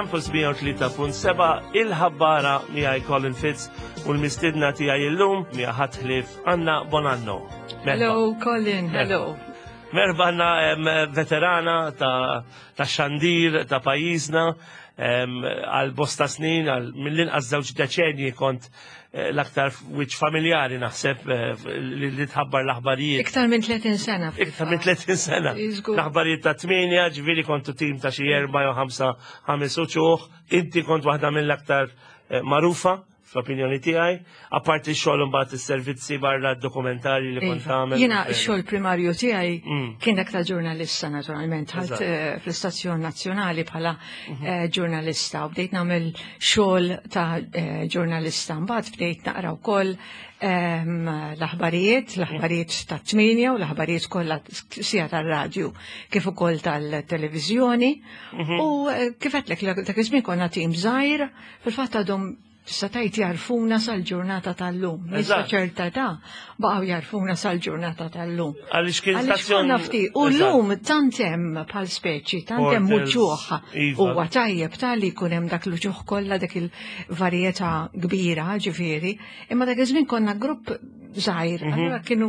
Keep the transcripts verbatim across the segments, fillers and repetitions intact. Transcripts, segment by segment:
Campus mija u tlieta punt seba', il-ħabbara, miegħi Colin Fitz u l-mistidna tiegħi illum mija ħadd ħlief Anna Bonanno. Merħba. Hello, Colin, hello. Merħba Anna, em, veterana ta', ta' xandir ta' pajjiżna em, għal bosta snin, għal mill-inqas żewġ deċenji kont eh, l-aktar wiċċ familjari naħseb eh, li li tħabbar l-aħbarijiet. Iktar minn tletin sena. Iktar minn tletin sena. Iżgur. L-aħbarijiet ta' tmienja, ġifieri kontu tim ta' xi erba' jew ħamsa, ħames uċuħ. Inti kont waħda mill-aktar eh, magħrufa fl-opinjoni tiegħi, apparti x-xogħol imbagħad is-servizzi barra, d-dokumentarji li kont Iva. tagħmel. Jiena x-xogħol primarju tiegħi Mm. kien dak ta' ġurnalista naturalment. Ħadt Eżatt. eh, fl-istazzjon nazzjonali bħala eh, ġurnalista u bdejt nagħmel xogħol ta' eh, ġurnalista. Mbagħad bdejt naqra wkoll ehm, l-aħbarijiet, l-aħbarijiet ta' tmienja u l-aħbarijiet kollha sija tar-radju kif ukoll tal-televiżjoni. U eh, kif għedtlek, dak iż-żmien konna tim żgħir, fil-fatt għadhom tista' tgħid jarfuna sal-ġurnata tal-lum. Nisa Eżatt. ċerta ta' baqgħu jarfuna sal-ġurnata tal-lum. Għaliex kien Għaliex stazzjon. konna ftit. U Eżatt. l-lum tant hemm bħal speċi, tant hemm Portals, uċuħ. Iva. Huwa tajjeb tal-li jkun hemm dak l-uċuħ kollha, dak il-varjetà kbira, ġifieri. Imma dak iż-żmien konna grupp żgħir, allura kienu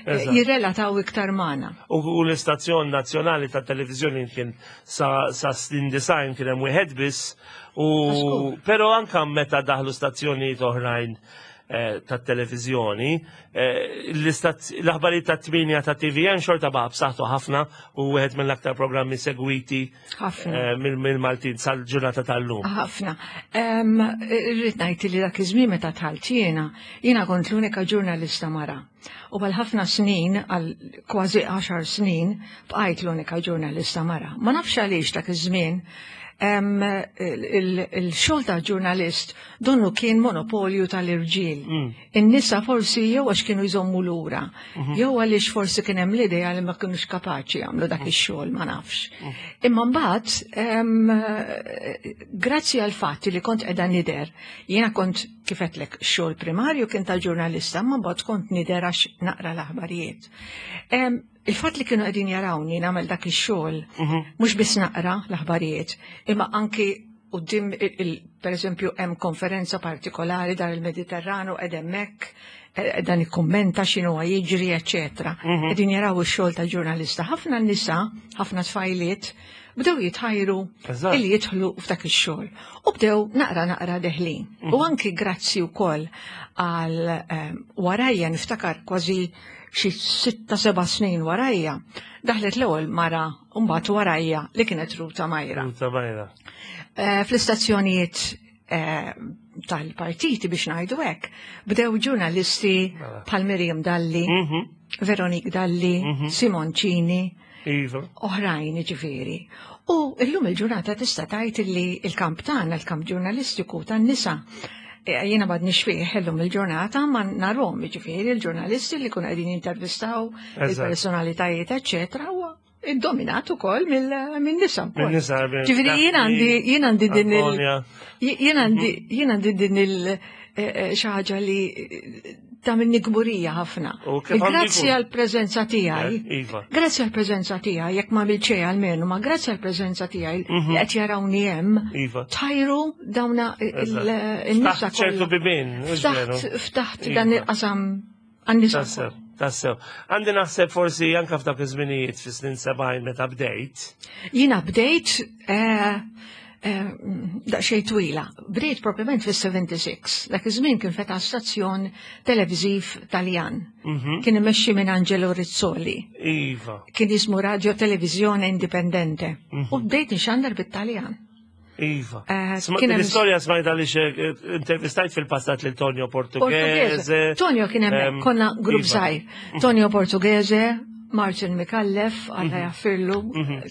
eh, Eżatt. jirrelataw iktar magħna. U u l-istazzjon nazzjonali ta' televizjoni kien sa, sa snin disgħin kien hemm wieħed biss u Żgur. però anka meta daħlu stazzjonijiet oħrajn eh, ta' televizjoni, eh, l-istazz- l-aħbarijiet ta' tmienja ta' T V N xorta baqa' b'saħħtu ħafna u wieħed mill-aktar programmi segwiti Ħafna. eh, mill- mill-Maltin sal-ġurnata tal-lum. Ħafna. Em, Irrid ngħid li dak iż-żmien meta dħalt jiena, jiena kont l-unika ġurnalista mara. U għal ħafna snin, għal kważi għaxar snin, bqajt l-unika ġurnalista mara. Ma nafx għaliex dak iż-żmien em, il- il-xogħol ta' ġurnalist donnu kien monopolju tal-irġiel. In-nisa forsi jew għax kienu jżommu lura, jew għaliex forsi kien hemm l-idea li ma kienux kapaċi jagħmlu dak ix-xogħol, ma nafx. Imma mbagħad em, grazzi għal fatt li kont qiegħda nidher, jiena kont, kif għedtlek, xogħol primarju kien tal-ġurnalista, ma mbagħad kont nidher għax naqra l-aħbarijiet. Em, Il-fatt li kienu qegħdin jarawni nagħmel dak ix-xogħol, mhux biss naqra l-aħbarijiet, imma anki quddiem il, il, per eżempju, hemm konferenza partikolari dar il-Mediterranu qed hemmhekk eh, dan ikkummenta x'inhu jiġri, eċetera. Qegħdin jaraw ix-xogħol ta' ġurnalista. Ħafna nisa, ħafna tfajliet bdew jitħajru Eżatt. illi jidħlu f'dak ix-xogħol. U bdew naqra naqra deħlin. U anki grazzi wkoll għal eh, warajja, niftakar kważi xi sitta seba' snin warajja, daħlet l-ewwel mara mbagħad warajja li kienet Ruta Majra. Ruta Majra. Eh, Fl-istazzjonijiet eh, tal-partiti, biex ngħidu hekk, bdew ġurnalisti Mela. bħal Miriam Dalli, Mhm. Veronique Dalli, Simon Cini, Iva. oħrajn ġifieri. U illum il-ġurnata tista' tgħid li il-kamp tagħna, il-kamp ġurnalistiku tan-nisa, eh, jiena m'għadnix fih illum il-ġurnata, ma narhom ġifieri il-ġurnalisti li kunu qegħdin jintervistaw Eżatt. il-personalitajiet, eċetera, huwa iddominat ukoll mill-nisa wkoll. Min-nisa, bil- Ġifieri jien għandi jien għandi din il Antonia. jien għandi jien għandi din il eh, eh, xi ħaġa li eh, tagħmilni kburija ħafna. U kif għandu Grazzi jkun? għal preżenza tiegħi. Eh, Iva. Grazzi għal preżenza tiegħi, jekk ma għamiltx almenu, ma grazzi għal preżenza tiegħi li qed jarawni hemm, Iva. tajru dawna Eżatt. il-nisa Ftaħt ċertu bibien, mhux veru? Ftaħt ftaħt Iva. dan il-qasam għan-nisa. Tassew, tassew. Għandi naħseb forsi anka f'dak iż-żminijiet fis-snin sebgħin meta bdejt. Jiena bdejt eh, eh, daqsxejn twila. Bdejt propjament fis-sebgħa u sebgħin. Dak iż-żmien kien fetaħ stazzjon televiżiv Taljan. Kien imexxi minn Angelo Rizzoli. Iva. Kien jismu Radio Televisione Indipendente. U bdejt nxandar bit-Taljan. Iva. Eh, Sma- kien hemm- L-istorja smajta li intervistajt fil-passat lil Tonio Portughese. Tonio kien Em, hemmhekk, konna grupp Iva. żgħir. Tonio Portughese, Martin Micallef, Alla jaħfirlu,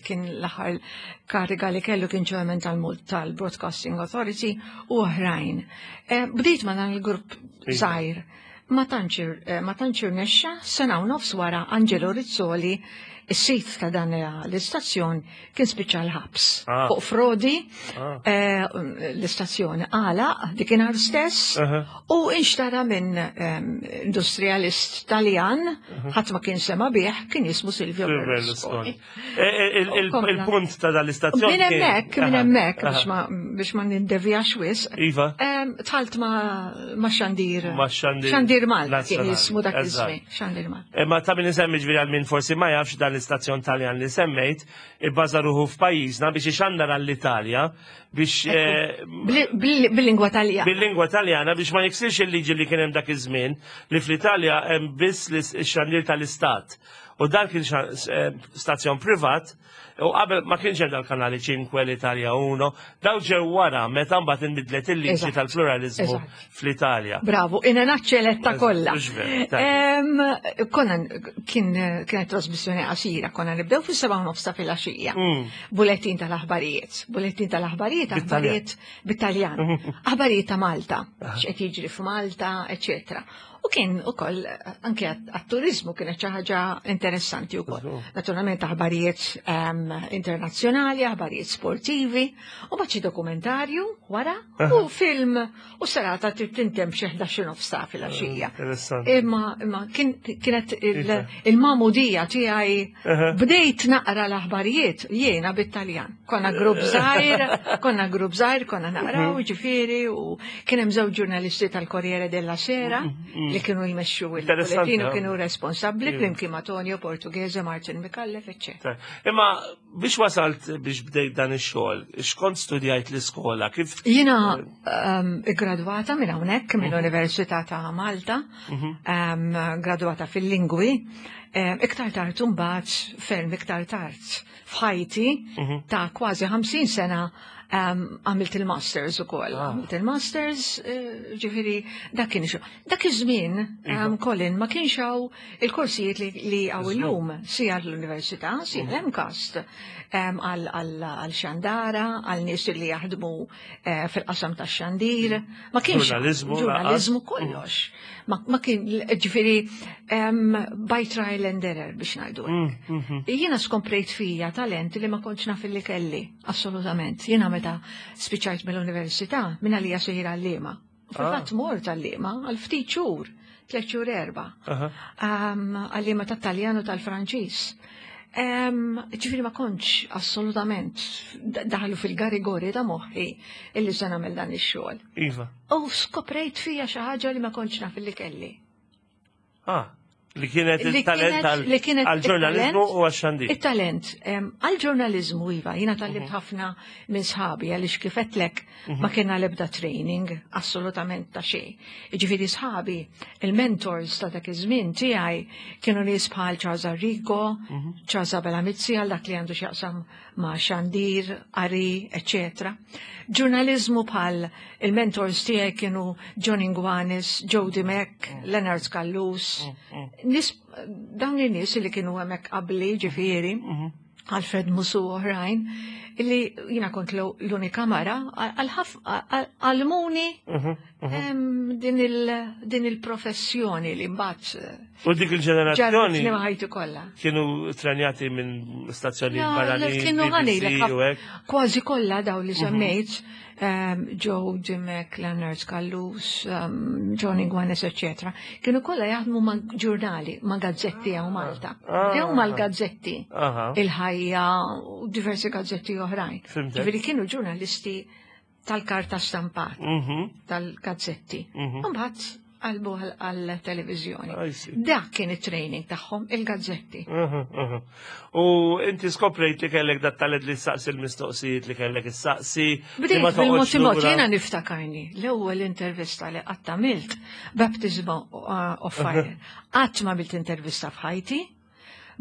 kien l-aħħar kariga li kellu kien chairman tal-Mult tal-Broadcasting Authority u oħrajn. Eh, Bdejt ma dan il-grupp Iva. żgħir. Ma tantx eh, ma tantx irnexxa, sena u nofs wara Angelo Rizzoli Is-sid ta' dan l-istazzjon kien spiċċa l-ħabs. Ah. Fuq frodi, Ah. eh, l-istazzjon għalaq dakinhar stess Aha. u inxtara minn em, industrialist Taljan, ħadd ma kien sema bih, kien jismu Silvio Berlusconi. Berlusconi. Eh, eh, il- il- Kompla. Il-punt ta' dal-istazzjon. Minn kien- hemmhekk, minn Aha, hemmhekk aha. biex ma biex ma nindevjax wisq. Iva. Em, Dħalt ma, ma xandir. Ma xandir Xandir Malta kien nazzjonali, jismu dak eżatt. iż-żmien. Xandir Malta. Imma ta' min isemmi, ġifieri għal min forsi ma jafx, dan l-istazzjon Taljan li semmejt, ibbaża ruħu f'pajjiżna biex ixandar għall-Italja biex eh, Bil- bil- Bil-lingwa Taljana. bil-lingwa Taljana biex ma jiksirx il-liġi li kien hemm dak iż-żmien li fl-Italja hemm biss l-xandir tal-istat. U dan kien xa- eh, stazzjon privat u qabel ma kienx hemm dal-kanali ċinque, l-Italja uno, daw ġew wara meta mbagħad inbidlet il-liġi Eżatt. tal-pluralizmu Eżatt. fl-Italja. Bravo, in a nutshell kollha. Mhux veru, tajjeb. Em, Konna kien kienet trasmissjoni qasira, konna nibdew fis-seba' u nofs ta' filgħaxija. Mm. Bulettin tal-aħbarijiet, bulettin tal-aħbarijiet, Bit-Taljan. aħbarijiet bit-Taljan, aħbarijiet ta' Malta, x'qed jiġri f'Malta, eċetera. U kien ukoll anke għat-turizmu kienet xi ħaġa interessanti wkoll. Żgur. Naturalment aħbarijiet em, internazzjonali, aħbarijiet sportivi, u mbagħad xi dokumentarju wara u film u serata trid tintemm xi ħdax nofs ta' filgħaxija. Interessanti. Imma imma kien, kienet il- Iva. il-magħmudija tiegħi Aha. bdejt naqra l-aħbarijiet jiena bit-Taljan. Konna grupp żgħir, konna grupp żgħir, konna naqraw ġifieri u kien hemm żewġ ġurnalisti tal-Corriere della Sera li kienu jmexxu Interessanti, il-bulletin u ha? kienu responsabbli Iva. flimkien ma' Tonio Portughese, Martin Micallef, eċċetera. Imma biex wasalt biex bdejt dan ix-xogħol, x'kont studjajt l-iskola, kif Jiena um, gradwata minn hawnhekk mill-Università ta' Malta, um, gradwata fil-lingwi, um, iktar tard imbagħad, ferm iktar tard f'ħajti ta' kważi ħamsin sena um, għamilt il-masters ukoll. Ah. Għamilt il-masters, eh, ġifieri, dak kien xo. Dak iż-żmien, um, Colin, ma kienx hawn il-korsijiet li, li hawn illum, sija l-università, sija l-MCAST, um, għal għal xandara, għal nies li jaħdmu eh, fil-qasam ta' xandir. Ma kienx hawn Ġurnaliżmu, ġurnaliżmu kollox. Ma, ma kien, ġifieri, um, by trial and error biex ngħidu hekk. Jiena skoprejt fija talent li ma kontx naf li kelli, assolutament. Jiena meta spiċċajt mill-università, minn għalija sejra għalliema. U fil-fatt mort għalliema għal ftit xhur, tliet xhur erba'. Aha. Um, għalliema tat-Taljan u tal-Franċiż. Um, ġifieri ma kontx assolutament daħlu fil-garigori ta' moħħi illi se nagħmel dan ix-xogħol. Iva. U skoprejt fija xi ħaġa li ma kontx naf li kelli. Ah, li kienet Li il-talent kienet- li kienet għal-ġurnalizmu il-talent- u għax-xandir. Il-talent, em, għal-ġurnalizmu iva, jiena tgħallimt ħafna minn sħabi, għaliex kif għedtlek ma kienna lebda training, assolutament ta' xejn. Ġifieri sħabi, il-mentors ta' dak iż-żmien tiegħi kienu nies bħal Charles Arrigo, Charles Abela Mizzi, għal dak li għandu x'jaqsam ma' xandir, qari, eccetera. Ġurnalizmu bħal il-mentors tiegħi kienu John Inguanis, Joe Dimech, Leonard Callus, nies, dawn in-nies li kienu hemmhekk qabli ġifieri, Alfred Musu u oħrajn, illi jiena kont l- l-unika mara, għallmuni em, din il- din il-professjoni li mbagħad U dik il-ġenerazzjoni ġarritni ħajti kollha. kienu trenjati minn stazzjoni No, barranin, kienu B B C għanilek, u hekk. kważi kollha daw li semmejt, um, Joe Dimech, Leonard Callus, um, John Inguanes, eccetera. Kienu kollha jaħdmu ma' ġurnali, ma' gazzetti hawn Malta. Ah. Jew mal-gazzetti, Aha. Il-Ħajja u diversi gazzetti oħrajn. Fhimtek. Ġifieri kienu ġurnalisti tal-karta stampat, Mhm. tal-gazzetti. Mhm. Mbagħad qalbu għal-televizjoni. I see. Dak kien it-training tagħhom, il-gazzetti. Mhm, mhm. U inti skoprejt li kellek dat talent li saqsi l-mistoqsijiet li kellek issaqsi, li Bdejt ma bil-mod toqgħodx il-mod, lura. jiena niftakarni, l-ewwel intervista li qatt għamilt, baptism uh, of fire. Qatt ma għamilt intervista f'ħajti,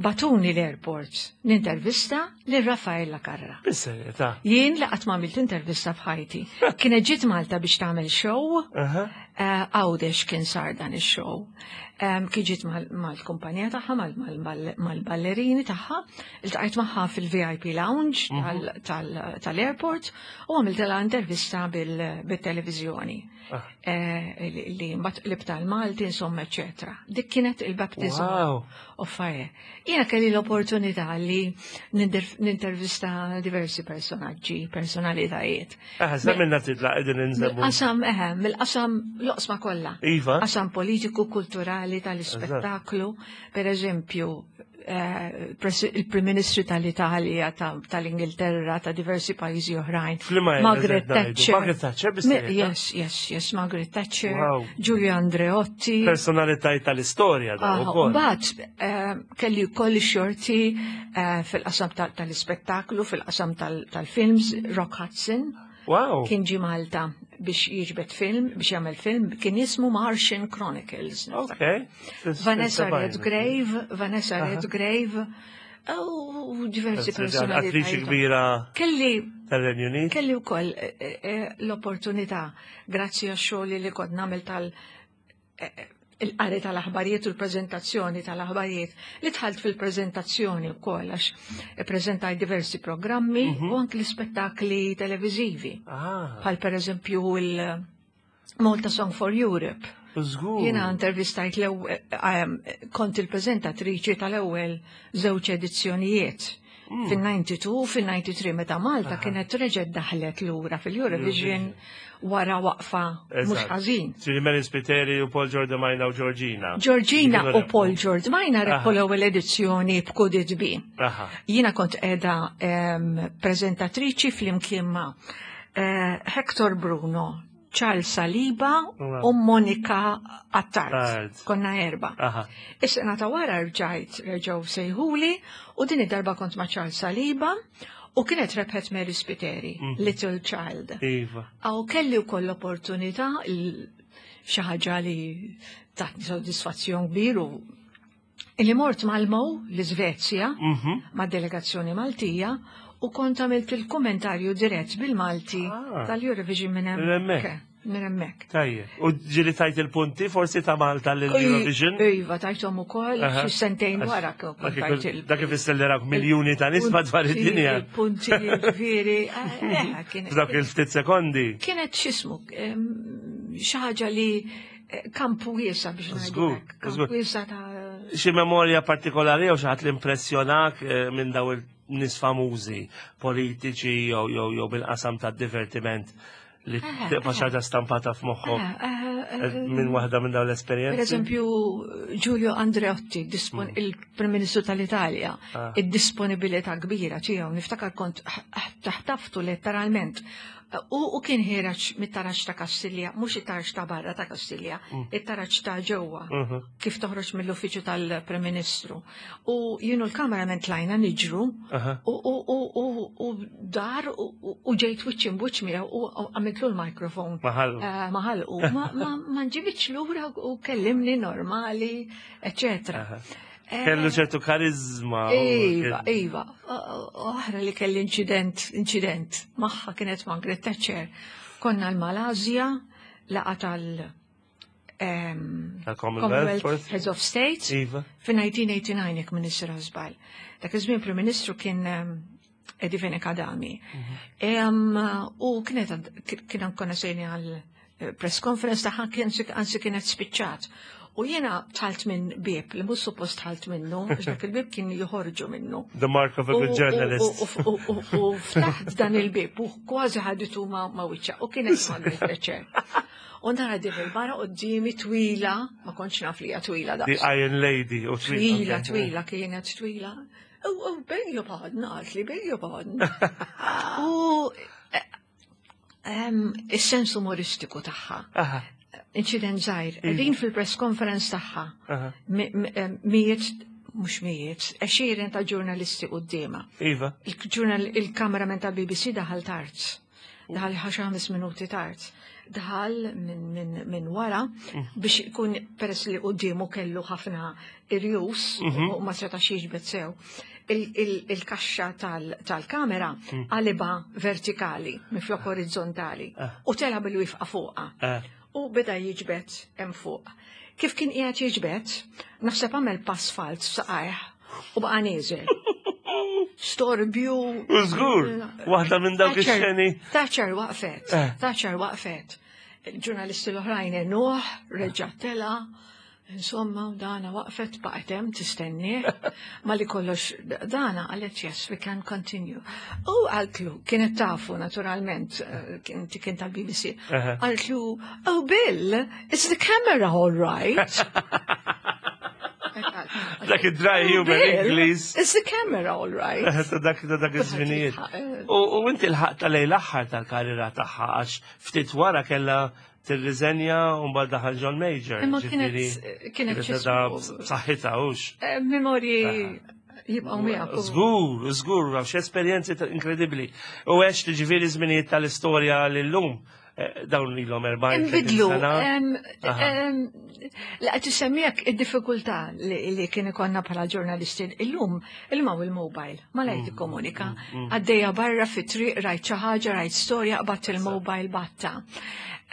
bagħtuni l-airport nintervista lil Raffaella Carrà. Bis-serjetà. Jien li qatt ma għamilt intervista f'ħajti. Kienet ġiet Malta biex tagħmel show Aha. Eh, Għawdex kien sar dan ix-show. Em, Kien ġiet mal- mal-kumpanija tagħha, mal- mal- mal- mal-ballerini tagħha, iltqajt magħha fil-V I P lounge tal- tal- tal-airport u għamiltilha intervista bil- bil-televizjoni. Ah. Eh, li li mbagħad qlibtha għall-Malti, insomma, eccetera. Dik kienet il-baptism Wow. of fire. Jiena kelli l-opportunità li ninter- nintervista diversi personaġġi, personalitajiet. Eh, semmilna titla qegħdin inżemmu. Mill-qasam, eħe, mill-qasam l-oqsma kollha. Iva. Qasam politiku, kulturali, tal-ispettaklu, per eżempju, eh, pres- il-Prim Ministru tal-Italja, ta- tal-Ingilterra, ta' diversi pajjiżi oħrajn. F'liema era Margaret qed ngħidu? Thatcher. Margaret Thatcher Mi- biss Yes, yes, yes, Margaret Thatcher, Wow. Giulio Andreotti. Personalitajiet tal-istorja da Ah, ukoll. Mbagħad eh, kelli wkoll xorti eh, fil-qasam tal- tal-ispettaklu, fil-qasam tal- tal-films, Rock Hudson. Wow. Kien ġi Malta biex jiġbed film, biex jagħmel film, kien jismu Martian Chronicles. Ok. Vanessa Redgrave, Vanessa Redgrave, u diversi Attriċi personalitajiet. kbira Kelli tal-Renju Unit. kelli wkoll eh, eh, l-opportunità, grazzi għax-xogħol li kont nagħmel tal- eh, eh, il-qari tal-aħbarijiet u l-prezentazzjoni tal-aħbarijiet, li dħalt fil-prezentazzjoni wkoll għax prezentaj diversi programmi u anki l-ispettakli televizivi. Ah, Bħal per eżempju il-Malta Song for Europe. Żgur. Jiena intervistajt l-ewwel, kont il-prezentatriċi tal-ewwel żewġ edizzjonijiet. Fil-disgħa u disgħin u fil-tnejn u disgħin meta Malta kienet reġgħet daħlet lura fil-Eurovision wara waqfa mhux Eżatt. ħażin. Ġifieri Mary Spiteri u Paul Giordimaina u Georgina. Georgina Kienu u rebħu. Paul Giordimaina rebħu Aha. l-ewwel edizzjoni b'Could It Be. Aha. Jiena kont qiegħda em, prezentatriċi flimkien ma' eh, Hector Bruno, Charles Saliba Wow. u Monica Attard. Attard. Konna erba. Aha. Is-sena ta' wara rġajt reġgħu sejħuli u din id-darba kont ma' Charles Saliba u kienet rebħet Mary Spiteri, Little Child. Iva. Għaw kelli wkoll l-opportunità il- xi ħaġa li tatni soddisfazzjon kbir u illi mort Malmö l-Iżvezja Mhm. ma' delegazzjoni Maltija u kont għamilt il-kommentarju dirett bil-Malti Ah. tal-Eurovision minn Minn hemmhekk. hemmhekk. Minn hemmhekk. Tajjeb. U ġieli tajt il-punti forsi ta' Malta l-Eurovision? Iva, tajthom ukoll Aha. xi sentejn Għax- wara kont dak tajt ikun- il- Dak ifisser li rawk miljuni ta' nies madwar punti, id-dinja. Il-punti, ġifieri, eh, kienet- F'dawk il-ftit sekondi. Kienet x'jismu, em, xi ħaġa li eh, kampu wiesa biex ngħidu Żgur, hekk, kampu żgur. wiesa ta' Xi memorja partikolari jew xi ħadd li impressjonak eh, minn daw il-nies famużi, politiċi jew jew jew bil-qasam tad-divertiment li Eh, tibqa' xi ħaġa stampata f'moħħok Eh, eh, eh, minn waħda minn dawn Per l-esperjenzi? eżempju, Giulio Andreotti, dispon- il-Prim Ministru tal-Italja, Ah. id-disponibilità kbira tiegħu, niftakar kont taħtaftu letteralment. U, u kien ħiereġ mit-taraġ ta' Kastilja, mhux it-taraġ ta' barra ta' Kastilja, it-taraġ ta' ġewwa, Mhm. kif toħroġ mill-uffiċċju tal-Prim Ministru. U jien u l-cameraman tlajna niġru, Aha. u, u, u, u, u dar u, u- u ġejt wiċċ imb'wiċċ miegħu u u għamiltlu l-mikrofon. Maħallu. Eh, Maħalqu. Ma, ma, ma nġibitx lura u kellimni normali, eccetera. Aha. Eh, Kellu ċertu karizma. u Iva, kien- iva. Oħra li kelli incident, incident magħha kienet Margaret Thatcher. Konna l-Malazja, laqgħa tal- em, Tal-Commonwealth, forsi? Heads of State. Iva. Fi elf disa' mija u tmienja u disgħin jekk m'iniex żball. Dak iż-żmien Prim Ministru kien em, Eddie Fenech Adami. Em, U kienet kien konna sejrin għal eh, press conference tagħha kien anzi kienet spiċċat. U jiena dħalt minn bieb li mhux suppost dħalt minnu, għax dak il-bieb kien joħorġu minnu. The mark of a good U- journalist. U u- u- u ftaħt dan il-bieb u kważi ħaditu ma' ma' wiċċha u kienet Margaret Thatcher. U nara din il-mara quddiemi twila, ma kontx naf li hija twila The daqs. Iron Lady. U Twila, twila, kienet twila. U u, beg your pardon, għalt li beg your pardon. U eh, em, is-sens umoristiku tagħha. Aha. Incident żgħir, din fil-press conference tagħha. Aha. mi- mi- em, Mijiet, mhux mijiet, għexieren ta' ġurnalisti quddiemha. Iva. Il-ġurnal il-kameraman ta' B B C daħal tard. Daħal xi ħames minuti tard. Daħal minn min, min wara biex ikun peress li quddiemu kellu ħafna irjus u ma setax jiġbed sew. Il- il- Il-kaxxa tal- tal-kamera qalibha vertikali minflok orizzontali u tela bil-wifqa fuqha. Eh. U beda jiġbed hemm fuq. Kif kien qiegħed jiġbed, naħseb għamel pass falz saqajh u baqa' nieżel. Storbju. U żgur, waħda minn dawk ix-xeni. Thatcher waqfet, Eh. Thatcher waqfet. Il-ġurnalisti l-oħrajn għenuh, reġa' tela', insomma, dana waqfet baqgħet hemm tistenni, ma li kollox dana qalet yes, we can continue. U qaltlu, kienet tafu naturalment, eh, kien kien tal-B B C, Aha. qaltlu, "Oh Bill, is the camera all right?" Dak id-dry "Oh, humor Bill, Ingliż. is the camera all right?" Ta' dak ta' dak iż-żminijiet. Eh, U u inti l-ħaq lejn l-aħħar tal-karriera tagħha għax ftit wara kellha tirriżenja u mbagħad daħal John Major. Imma kienet Ġifieri, kienet kienet ta' b'saħħitha hux. Eh, Memorji jibqgħu miegħek. u- Żgur, żgur, għax esperjenzi ta' inkredibbli. U għex ġifieri żminijiet tal-istorja l-lum eh, dawn ilhom erbgħin Imbidlu, sena. em, Aha. em, la tisemmijak id-diffikultà li, li kien ikonna bħala ġurnalisti illum, illum hawn il-mobile, ma lejt tikkomunika. Għaddejja barra fi triq rajt xi ħaġa, rajt storja, qbadt il-mobile batta.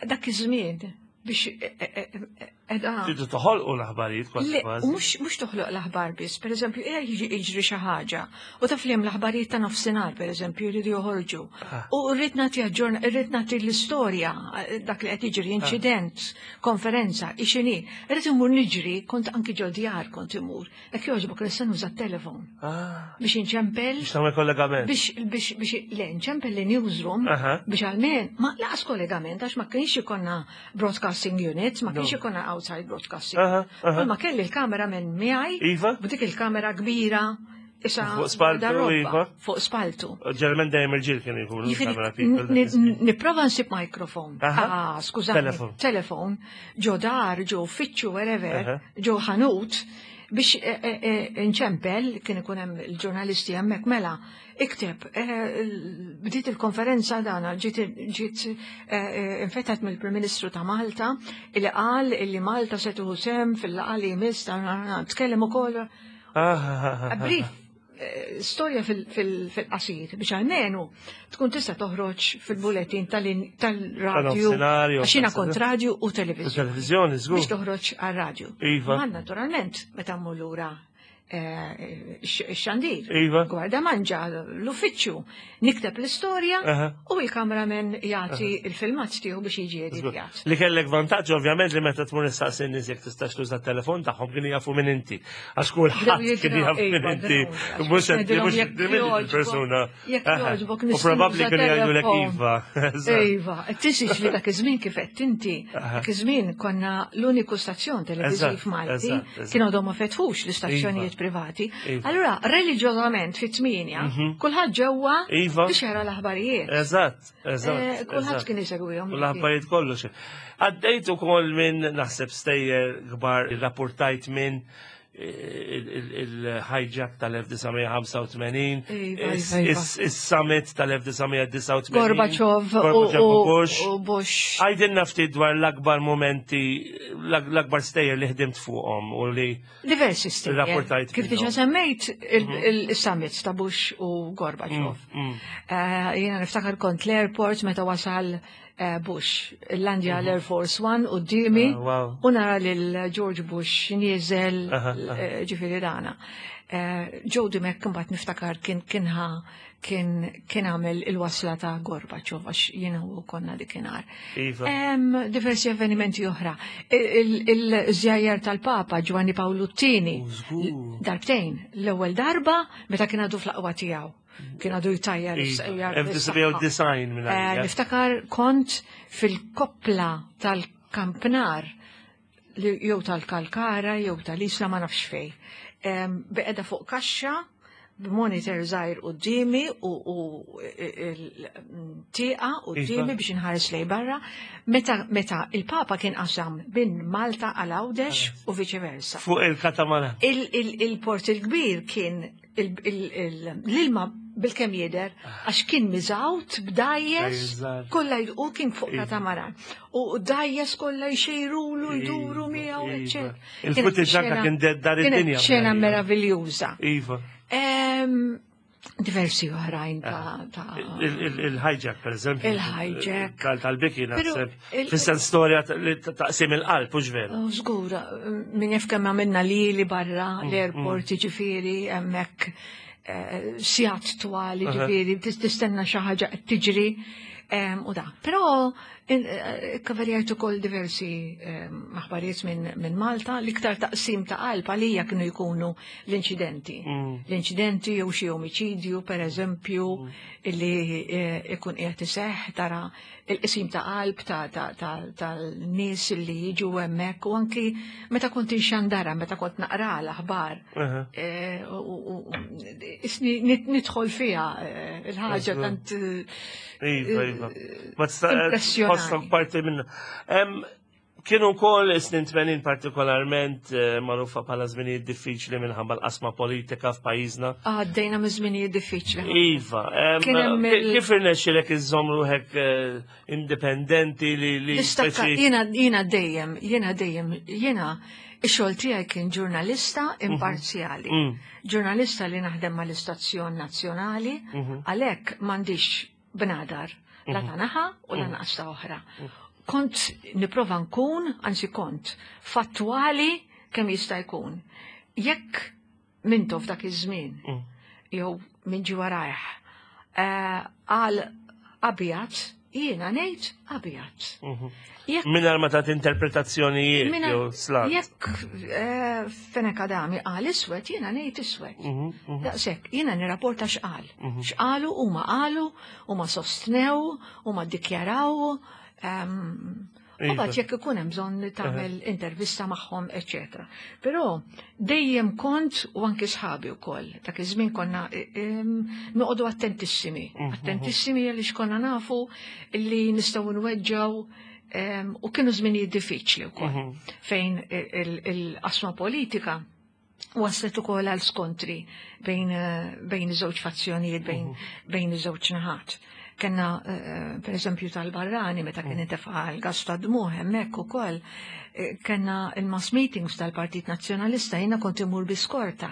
Dak iż-żmien biex eh, eh, eh, edha. Tridu toħolqu l-aħbarijiet kważi Le, kważi. mhux mhux toħloq l-aħbar biss, per eżempju, ija jiġi jiġri xi ħaġa, u taf li hemm l-aħbarijiet ta' nofsinhar, per eżempju, jridu joħorġu. Ah. U rrid nagħti aġġorn, rrid nagħti l-istorja, eh, dak li qed jiġri, inċident, konferenza, ixini. Rrid imur niġri, kont anki ġo djar kont imur. Jekk jogħġbok nista' nuża t-telefon Ah, biex inċempel biex tagħmel kollegament. biex biex biex le nċempel li newsroom Aha. biex għalmen ma laqas kollegament għax ma kienx ikonna broadcasting units, ma kienx No. ikonna outside broadcasting. Aha, aha. Ma kelli l-kamera minn miegħi, Iva? b'dik il-kamera kbira issa Fuq spaltu, darroba, iva. Fuq spaltu. Ġeneralment dejjem irġiel kienu jkunu Jiġifieri, camera people dak ni- iż-żmien. Nipprova nsib mikrofon. Aha. Ah, skużani. Telefon. Telefon. Ġo dar, ġo uffiċċju, wherever, Aha. ġo ħanut, biex eh, eh, eh, nċempel, kien ikun hemm il-ġurnalisti hemmhekk mela, ikteb, eh, l- bdiet il-konferenza dana, ġiet ġiet eh, eh, infetħet mill-Prim Ministru ta' Malta, illi qal illi Malta se tieħu sehem fil-laqgħa li jmiss ta' tkellem ukoll. Ah, ah, ah, ah. Brief, eh, storja fil- fil- fil-qasir biex għalmenu tkun tista' toħroġ fil-bulletin tal-in- tal-radju. Tal-nofsinhar jew Għax jiena tal- kont radju u televizjoni. Televizjoni, żgur. Biex toħroġ għal-radju. Iva. Ma naturalment, meta mmur lura eh, x-xandir. Iva. Gwarda manġa l-uffiċċju. Nikteb l-istorja Aha. u il-kameraman jagħti il-filmat tiegħu biex jiġi editjat. Li kellek vantaġġ ovvjament li meta tmur issaqsi n-nies jekk tistax tuża t-telefon tagħhom kienu jafu minn inti. Għax kulħadd kien jaf minn Iva, inti. Mhux qed mhux minn persuna. Jekk Aha. jogħġbok U probabbli kienu jgħidulek telefon. iva. Eżatt. Iva, tinsiex li dak iż-żmien kif qed inti, Aha. dak iż-żmien konna l-uniku stazzjon televiżiv Eżatt, Malti, eżatt, eżatt. kienu għadhom ma fetħux l-istazzjonijiet privati. Iva. Allura, reliġjożament fit-tmienja, kulħadd ġewwa Iva. biex jara l-aħbarijiet. Eżatt, eżatt. Eh, Kulħadd eżatt. kien isegwihom. U l-aħbarijiet kollox. Għaddejt ukoll minn naħseb stejjer kbar rapportajt minn il-hijack tal-elf disa' mija ħamsa u tmenin, Iva, iva, iva. is-summit tal-elf disa' mija disgħa u tmenin, Gorbachev u- Gorbachev u u Bush. u Bush. Għajdilna ftit dwar l-akbar momenti, l-akbar stejjer li ħdimt fuqhom u li Diversi stejjer. Rapportajt Kif minnhom. diġa semmejt il-summits ta' Bush u Gorbachev. Mm, Eh, Jiena niftakar kont l-airport meta wasal eh, Bush, landja l-Air Force One quddiemi Ah, wow. u nara lil George Bush nieżel Aha, aha. eh, ġifieri dana. Eh, Joe Dimech mbagħad niftakar kien kienha kien kien għamel il-wasla ta' Gorbachev għax jiena u konna dikinhar. Iva. Hemm diversi avvenimenti oħra. Il-żjajjar tal-Papa Giovanni Paolo Tini. U żgur. Darbtejn, l-ewwel darba meta kien għadu fl-aqwa tiegħu. Kien għadu jtajjar. Iva, jajjar elf disa' mija u disgħin minn Eh, għalija. Niftakar kont fil-koppla tal-Kampnar li jew tal-Kalkara jew tal-Isla ma nafx fej. Em, Beqeda fuq kaxxa b'monitor żgħir quddiemi u u il-tieqa quddiemi Iva. biex inħares lej barra. Meta meta il-Papa kien qasam minn Malta għal Għawdex u viċi versa. Fuq il-katamaran. Il- il- Il-port il-kbir kien il- il- il- l-ilma bil-kem jider, għax kien miżgħud b'dgħajjes, Dgħajjes kollha u kien fuq Iva. katamaran. U dgħajjes kollha jxejrulu, jduru Iva, miegħu, iva. eccetera. Il-footage Kienet anka kien dar Kienet id-dinja. xena meraviljuża. Iva. Em, Diversi oħrajn ta' ta' Il-hijack, per eżempju. Il-hijack. Tal-biki, Pero naħseb. il- Fis-sens storja ta- li taqsim il-qalb, hux veru? Oh, żgur, min jaf kemm għamilna lili barra l-airport, ġifieri, hemmhekk eh, sigħat twali, ġifieri, tis- tistenna xi ħaġa qed tiġri em, u da. Però eh, kaverjajt ukoll diversi em, aħbarijiet minn min Malta, l-iktar taqsim ta' qalb għalija kienu jkunu l-inċidenti. L-inċidenti jew xi omiċidju, per eżempju, illi eh, ikun qiegħed iseħħ tara il-qsim ta' qalb ta' ta' ta' tal-nies li jiġu hemmhekk u anki meta kont inxandara, meta kont naqra l-aħbar. Aha. eh, u- u- u- Isni nit- nidħol fiha eh, il-ħaġa Eżatt. tant eh, Iva, iva. Ma tista' Impressjonani. tħossok parti minna. Em, Kienu wkoll is-snin tmenin partikolarment eh, magħrufa bħala żminijiet diffiċli minħabba l-qasma politika f'pajjiżna. Għaddejna minn żminijiet diffiċli. Iva, em, Kien hemm ki- il- kif irnexxilek iżżomm ruħek eh, indipendenti li li Nistakka, speċi- jiena jiena dejjem, jiena dejjem, jiena ix-xogħol tiegħi kien ġurnalista imparzjali. Mm. Ġurnalista li naħdem mal-istazzjon nazzjonali, għalhekk m'għandix bnadar la ta' naħa u la naqas ta' oħra. Kont nipprova nkun, anzi kont, fattwali kemm jista' jkun. Jekk Mintoff f'dak iż-żmien, Mm. jew minn ġi warajh, eh, għal abjad, jiena ngħid abjad. Mhm. Jekk Mingħajr ma tagħti interpretazzjonijiet Minna- jew slant. Jekk eh, Fenech Adami qal iswed, jiena ngħid iswed. Mhm, mhm. Daqshekk, jiena nirrapporta x'qal. X'qalu huma qalu, huma sostnew, huma ddikjaraw. ehm, U Iva. mbagħad jekk ikun hemm bżonn li tagħmel intervista magħhom, eċetera. Però dejjem kont u anki sħabi wkoll, dak iż-żmien konna eh, em, noqogħdu attentissimi, attentissimi għaliex konna nafu li nistgħu nweġġaw em, u kienu żminijiet diffiċli wkoll fejn il- il-qasma politika waslet ukoll għal skontri bejn eh, bejn iż-żewġ fazzjonijiet, bejn bejn iż-żewġ naħat. Kenna, eh, per eżempju, tal-barrani, meta kien intefa' l-gas ta' dmuħ hemmhekk ukoll, eh, kenna il-mass meetings tal-Partit Nazzjonalista, jiena kont imur bi skorta.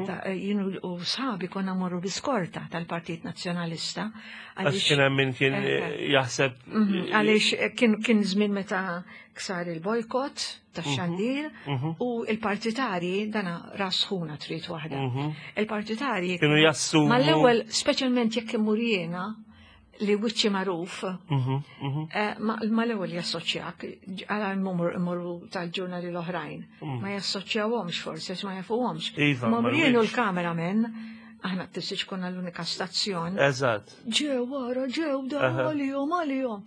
Ta' eh, Jien u sħabi konna morru bi skorta tal-Partit Nazzjonalista. Għax kien hemm min kien Eh, eh, jaħseb Mhm, Għaliex eh, kien kien żmien meta ksar il-bojkot tax-xandir u il-partitari dana rasħuna trid waħda. Il-partitari kienu jassumu. mal-ewwel speċjalment jekk imur jiena li wiċċi magħruf, Mhm, mhm. eh, ma- mal-ewwel jassoċjak, għala mmorru tal-ġurnali l-oħrajn. Ma jassoċjawhomx forsi, għax ma jafuhomx. Iva, Ma ma jien u rridx. l-cameraman, aħna t-tissiċ konna l-unika stazzjon, Eżatt. ġew wara, ġew da Aha. għalihom, għalihom.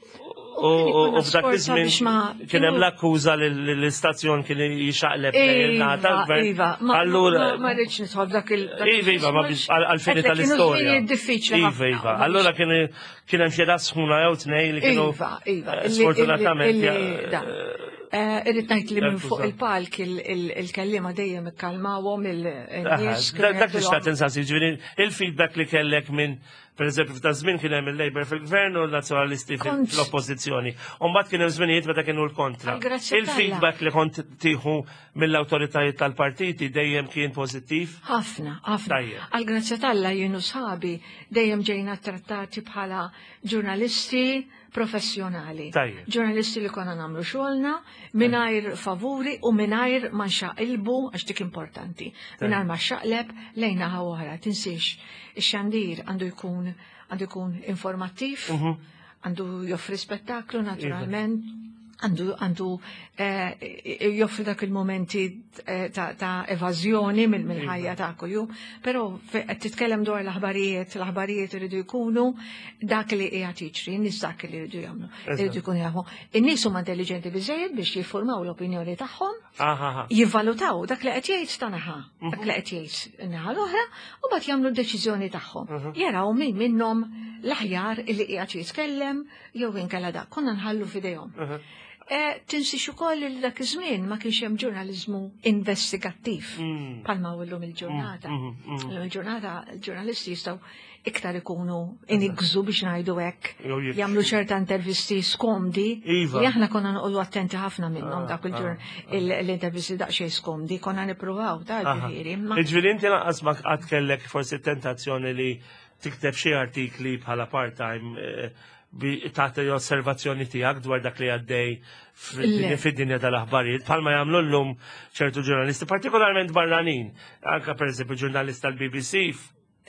U u- u f'dak iż-żmien iż-żmien kien hemm l-akkuża li li l-istazzjon kien jixaqleb lejn il-naħa Iva, tal-gvern. Iva, ma Allura ma- ma rridx nidħol f'dak il. dak Iva, iva, ma biex għal- għal-fini Għedlek, kienu tal-istorja. żminijiet diffiċli Iva, ħafna, iva. u Allura kien kien hemm xi sħuna jew tnejn li kienu Iva, iva. eh, illi- sfortunatament illi- ja- illi- da. Eh, Irrid ngħid li minn fuq Akkuża. il-palk il- il- il-kellima dejjem ikkalmawhom Aha, il-nies. Dak dak li xtaqt insaqsi, ġifieri il-feedback li kellek minn per eżempju f'ta' żmien kien hemm il-Labour fil-gvern u l-Nazzjonalisti fil- Kont- fl-oppożizzjoni. U mbagħad kien hemm żminijiet meta kienu l-kontra. Għal grazzja Il-feedback li kont tieħu mill-awtoritajiet tal-partiti dejjem kien pożittiv. Ħafna, ħafna. Tajjeb. Għal grazzja t'Alla jien u sħabi dejjem ġejna trattati bħala ġurnalisti professjonali. Tajjeb. Ġurnalisti li konna nagħmlu xogħolna mingħajr favuri u mingħajr ma nxaqilbu għax dik importanti. Mingħajr ma xaqleb lejn naħa oħra. Tinsiex, ix-xandir għandu jkun għandu jkun informattiv, għandu joffri spettaklu naturalment, għandu għandu eh, joffri dak il-momenti eh, ta', ta' evażjoni mill- mill-ħajja ta' kuljum, però fe- qed titkellem dwar l-aħbarijiet, l-aħbarijiet iridu jkunu dak li qiegħed jiġri, n-nies dak li jridu jagħmlu, iridu jkunu jafu. In-nies huma intelligenti biżejjed biex jiffurmaw l-opinjoni tagħhom, Aha, aha. jivvalutaw dak li qed jgħid ta' naħa, dak li qed jgħid in-naħa l-oħra, u mbagħad jagħmlu d-deċiżjoni tagħhom. Jaraw min minnhom l-aħjar illi qiegħed jitkellem jew inkella dak. Konna nħallu f'idejhom. Eh, Tinsix ukoll li dak iż-żmien ma kienx hemm ġurnaliżmu investigattiv Mm. bħalma hu llum il-ġurnata. Mm, mm, mm. Illum il-ġurnata il-ġurnalisti jistgħu iktar ikunu inigżu biex ngħidu hekk, Jew jikxfu. jagħmlu ċerta intervisti skomdi Iva. li aħna konna noqogħdu attenti ħafna minnhom Ah, dak il-ġur ah, l-intervisti daqsxejn skomdi, konna nippruvaw ta' Aha. ġifieri, imma Ġifieri inti lanqas ma qatt kellek forsi tentazzjoni li tikteb xi artikli bħala part-time eh, bi tagħti osservazzjoni tiegħek dwar dak li għaddej Le. fid-dinja tal-aħbarijiet, bħalma jagħmlu llum ċertu ġurnalisti, partikolarment barranin. Anka pereżempju ġurnalist tal-B B C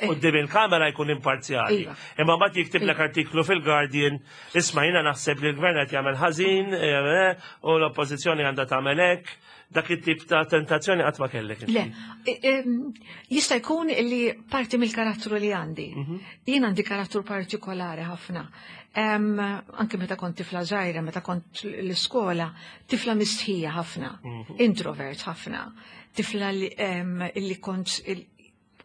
quddiem il-kamera jkun imparzjali. Iva. Imma mbagħad jiktib lek artiklu fil-Guardian, "Isma', jiena naħseb li l-gvern qed jagħmel ħażin eh, u l-oppożizzjoni għandha tagħmel hekk." Dak it-tip ta' tentazzjoni qatt ma kellek inti? Le, e- em, jista' jkun li parti mill-karattru li għandi. Mhm. Jien għandi karattru partikolari ħafna. Em, anke meta kont tifla żgħira, meta kont l-iskola, tifla mistħija ħafna, Mhm. introvert ħafna, tifla li, em, li kont il-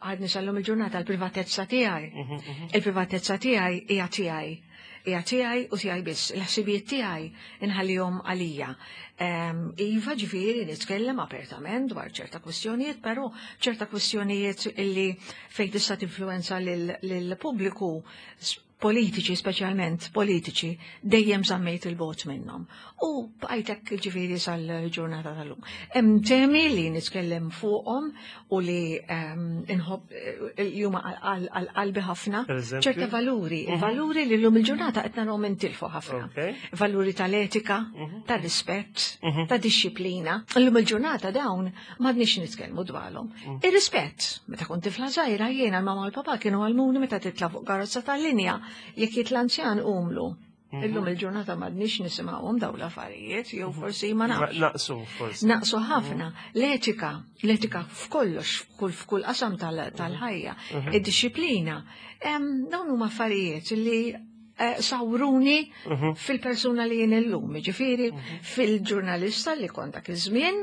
għadni sal-lum il-ġurnata l-privatezza tiegħi. Mhm, mhm. Il-privatezza tiegħi hija tiegħi. Hija tiegħi u tiegħi biss. Il-ħsibijiet tiegħi inħallihom għalija. Em, Iva, ġifieri nitkellem apertament dwar ċerta kwistjonijiet, però ċerta kwistjonijiet illi fejn tista' tinfluenza lill-pubbliku, s- politiċi, speċjalment politiċi, dejjem żammejt il-bogħod minnhom. U bqajtek ġifieri sal-ġurnata tal-lum. Hemm temi li nitkellem fuqhom u li em, inħobb eh, li huma għal għal qalbi ħafna. Per eżempju? Ċerta valuri, valuri li llum il-ġurnata qed narahom intilfu ħafna. Ok. Valuri tal-etika, tal-rispett, Mhm. ta' disċiplina. Illum il-ġurnata dawn m'għadniex nitkellmu dwarhom. Ir-rispett, meta kont tifla żgħira jiena l-mama u l-papa kienu għallmuni meta titla' fuq karozza tal-linja, jekk jitla' anzjan qumlu. Illum il-ġurnata m'għadniex nisimgħuhom dawn l-affarijiet, jew forsi ma nafx. Naqsu, forsi. Naqsu ħafna. L-etika, l-etika f'kollox, f'kull f'kull qasam tal- tal-ħajja, id-disciplina. Em, Dawn huma affarijiet li eh, sawruni fil-persuna li jien illum, ġifieri fil-ġurnalista li kont dak iż-żmien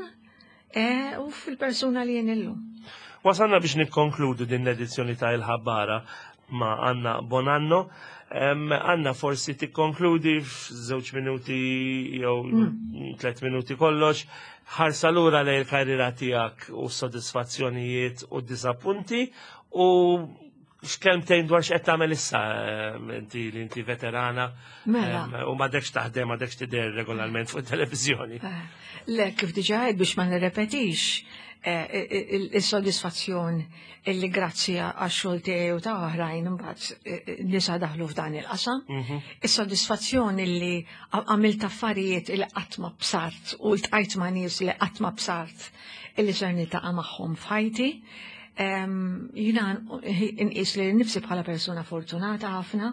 eh, u fil-persuna li jien illum. Wasalna biex nikkonkludu din l-edizzjoni ta' Il-Ħabbara ma' Anna Bonanno. Em, Anna, forsi tikkonkludi f'żewġ minuti jew tliet minuti kollox, ħarsa lura lejn il-karriera tiegħek u s-sodisfazzjonijiet u d-disappunti u x'kelmtejn dwar x'qed tagħmel issa em, inti li inti veterana Mela. em, u m'għadekx taħdem, m'għadekx tidher regolarment fuq televizjoni. Eh, Le, kif diġà għedt biex ma nirrepetix, eh, il- il-soddisfazzjon illi grazzi għax-xogħol tiegħi u ta' oħrajn imbagħad eh, nisa daħlu f'dan il-qasam. Is-soddisfazzjon illi għamilt affarijiet illi qatt ma bsart u ltqajt ma' nies li qatt ma bsart illi ser niltaqa' magħhom f'ħajti. Em, Jiena nqis lili nnifsi bħala persuna fortunata ħafna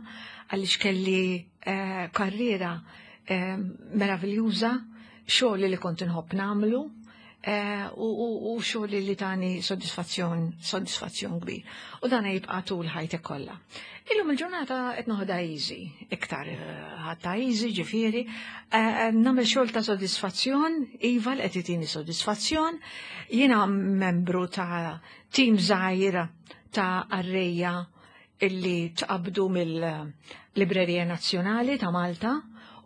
għaliex kelli eh, karriera em, meraviljuża, xogħol li kont inħobb nagħmlu eh, u, u, u xogħol li tani soddisfazzjon, soddisfazzjon kbir. U dan jibqa' tul ħajtek kollha. Illum il-ġurnata qed noħodha easy, iktar eh, ħadtha easy ġifieri, eh, nagħmel xogħol ta' soddisfazzjon, iva li qed itini soddisfazzjon, jiena membru ta' tim żgħir ta' qarrejja illi tqabdu mill-Librerija Nazzjonali ta' Malta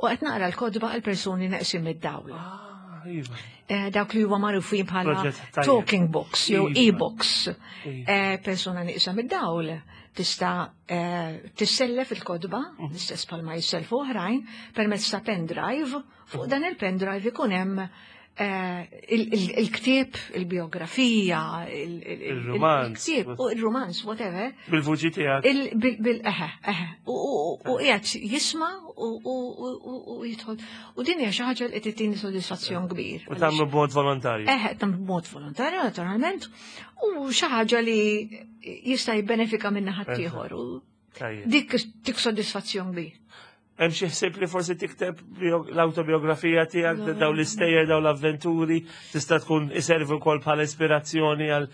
u qed naqra l-kotba għal persuni neqsin mid-dawl. Ah, iva. Eh, dawk li huwa magħrufin bħala Proġett tajjeb. talking books jew Iva. e-books. Iva. Eh, persuna nieqsa mid-dawl tista' eh, tissellef il-kotba, Mhm. l-istess bħalma jisselfu oħrajn, permezz ta' pendrive. Fuq dan il-pendrive ikun hemm eh, il- il- il-ktieb, il-biografija, il- il- il- Il-romanz. il-ktieb, u il-romanz, whatever. Bil-vuċi tiegħek. Il, bil, bil, eħe, eħe, u, u, u qiegħed jisma' u, u, u, u, u jidħol. U din hija xi ħaġa li qed titini soddisfazzjon kbir. U tagħmlu b'mod volontarju. Eħe, tam b'mod volontarju, naturalment, u xi ħaġa li jista' jibbenefika minna ħaddieħor. U Tajjeb. dik dik soddisfazzjon kbir. Hemm xi ħsieb li forsi tikteb bio- l-autobiografija tiegħek, daw l-istejjer, daw l-avventuri, tista' tkun iservi wkoll bħala ispirazzjoni għal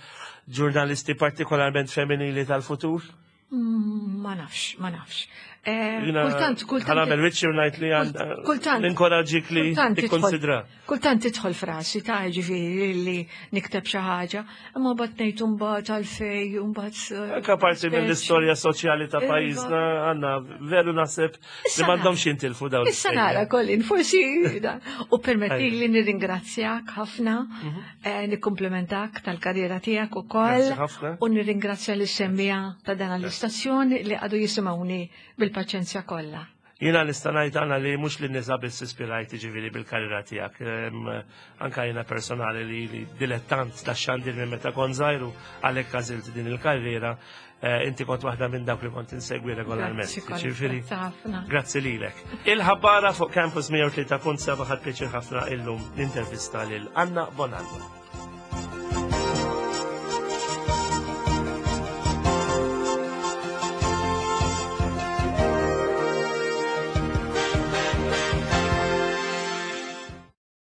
ġurnalisti partikolarment femminili tal-futur? Mm, Ma nafx, ma nafx. Eh, Jiena Kultant, kultant. Ħa nagħmel wiċċi u ngħid li għandha Kultant. ninkoraġġik li Kultant tidħol- tikkonsidra. Kultant tidħol frasi ta' ġifieri li nikteb xi ħaġa, imma mbagħad ngħid mbagħad għalfejn, mbagħad. eh, Anka parti mill-istorja soċjali ta' Iva. pajjiżna, għandna veru naħseb li Issa m'għandhomx jintilfu dawn. Issa l-istejjer. nara, Colin, forsi da. U permetti Ajja. li nirringrazzjak ħafna, eh, nikkomplimentak tal-karriera tiegħek ukoll. Grazzi ħafna. U nirringrazzja lis-semmiegħa ta' dan l-istazzjon li għadu jisimgħuni bil-paċenzja kollha. Jiena nista' ngħid għandna li mhux li nisa biss ispirajt ġifieri bil-karriera tiegħek. Em, Anka jiena personali li, li dilettant ta' xandir minn meta kont żgħir u għalhekk għażilt din il-karriera, eh, inti kont waħda minn dawk li kont insegwi regolarment. Grazzi, Colin, Ġifieri, grazzi ħafna. Grazzi lilek. Il-ħabbara fuq Campus mija u tlieta punt seba ħadt pjaċir ħafna illum l-intervista lil Anna Bonanno.